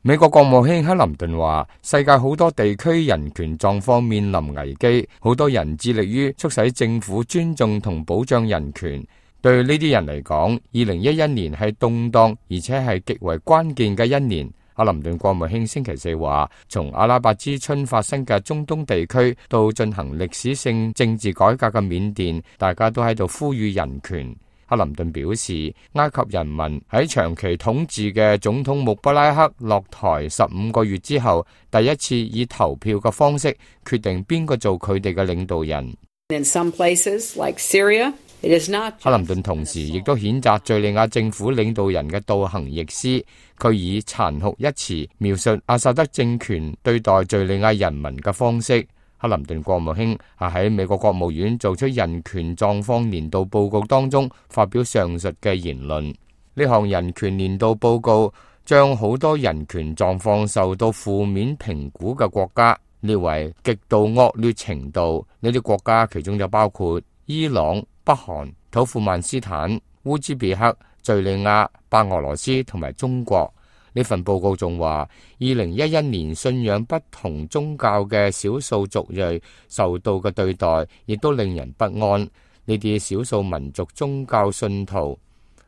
美國國務卿克林頓話，世界好多地區人權狀況面臨危機，好多人致力於促使政府尊重同保障人權。對呢啲人嚟講，2011年係動盪而且係極為關鍵嘅一年。克林頓國務卿星期四話，從阿拉伯之春發生嘅中東地區到進行歷史性政治改革嘅緬甸，大家都喺度呼籲人權。克林頓表示，埃及人民喺長期統治嘅總統穆巴拉克落台15個月之後，第一次以投票嘅方式決定邊個做佢哋嘅領導人。In some places, like Syria, it is not just... 克林頓同時亦都譴責敘利亞政府領導人嘅倒行逆施，佢以殘酷一詞描述阿薩德政權對待敘利亞人民嘅方式。克林頓國務卿喺美國國務院做出人權狀況年度報告當中發表上述嘅言論。呢項人權年度報告將好多人權狀況受到負面評估嘅國家列為極度惡劣程度。呢啲國家其中就包括伊朗、北韓、土庫曼斯坦、烏茲別克、敘利亞、白俄羅斯同埋中國。呢份報告仲話，2011年信仰不同宗教嘅少數族裔受到嘅對待，亦都令人不安。呢啲少數民族宗教信徒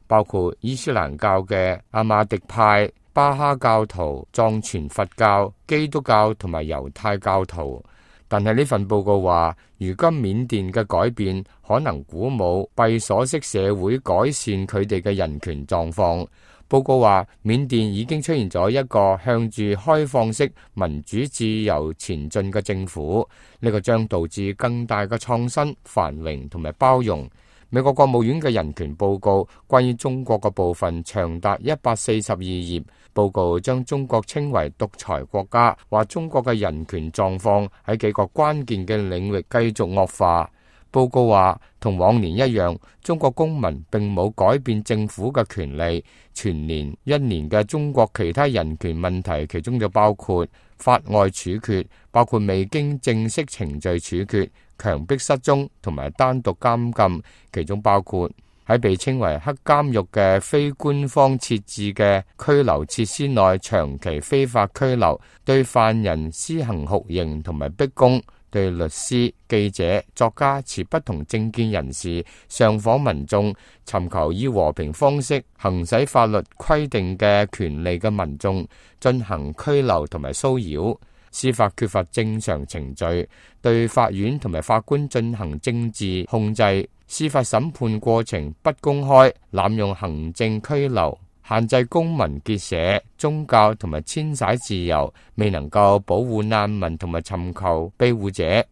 包括伊斯蘭教嘅阿馬迪派、巴哈教徒、藏傳佛教、基督教同埋猶太教徒。但係呢份報告話，如今緬甸嘅改變可能鼓舞閉鎖式社會改善佢哋嘅人權狀況。報告話，緬甸已經出現咗一個向住開放式民主自由前進嘅政府，呢個將導致更大嘅創新、繁榮同埋包容。美國國務院嘅人權報告關於中國嘅部分長達142頁，報告將中國稱為獨裁國家，話中國嘅人權狀況喺幾個關鍵嘅領域繼續惡化。報告話，同往年一樣，中國公民並冇改變政府嘅權利。全年一年嘅中國其他人權問題，其中就包括法外處決，包括未經正式程序處決、強迫失蹤同埋單獨監禁，其中包括喺被稱為黑監獄嘅非官方設置嘅拘留設施內長期非法拘留，對犯人施行酷刑同埋逼供，對律師、記者、作家、持不同政見人士、上訪民眾、尋求以和平方式行使法律規定嘅權利嘅民眾進行拘留同埋騷擾，司法缺乏正常程序，對法院同埋法官進行政治控制，司法審判過程不公開，濫用行政拘留，限制公民結社、宗教同埋遷徙自由，未能夠保護難民同埋尋求庇護者，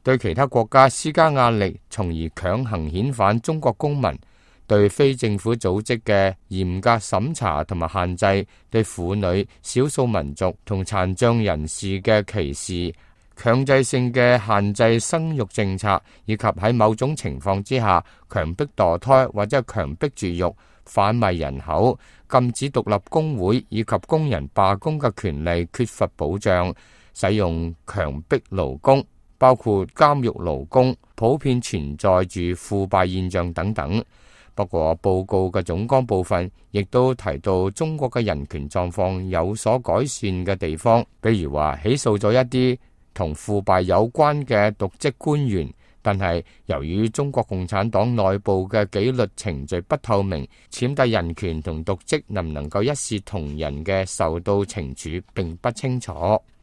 對其他國家施加壓力，從而強行遣返中國公民，對非政府組織嘅嚴格審查同埋限制，對婦女、少數民族同殘障人士嘅歧視，強制性嘅限制生育政策，以及喺某種情況之下強迫墮胎或者係強迫絕育、販賣人口、禁止獨立工會以及工人罷工嘅權利缺乏保障，使用強迫勞工，包括監獄勞工，普遍存在住腐敗現象等等。不過報告嘅總綱部分亦都提到中國嘅人權狀況有所改善嘅地方，比如話起訴咗一啲同腐敗有關嘅瀆職官員，但係由於中國共產黨內部嘅紀律程序不透明，踐踏人權同瀆職能唔能夠一視同仁嘅受到懲處並不清楚。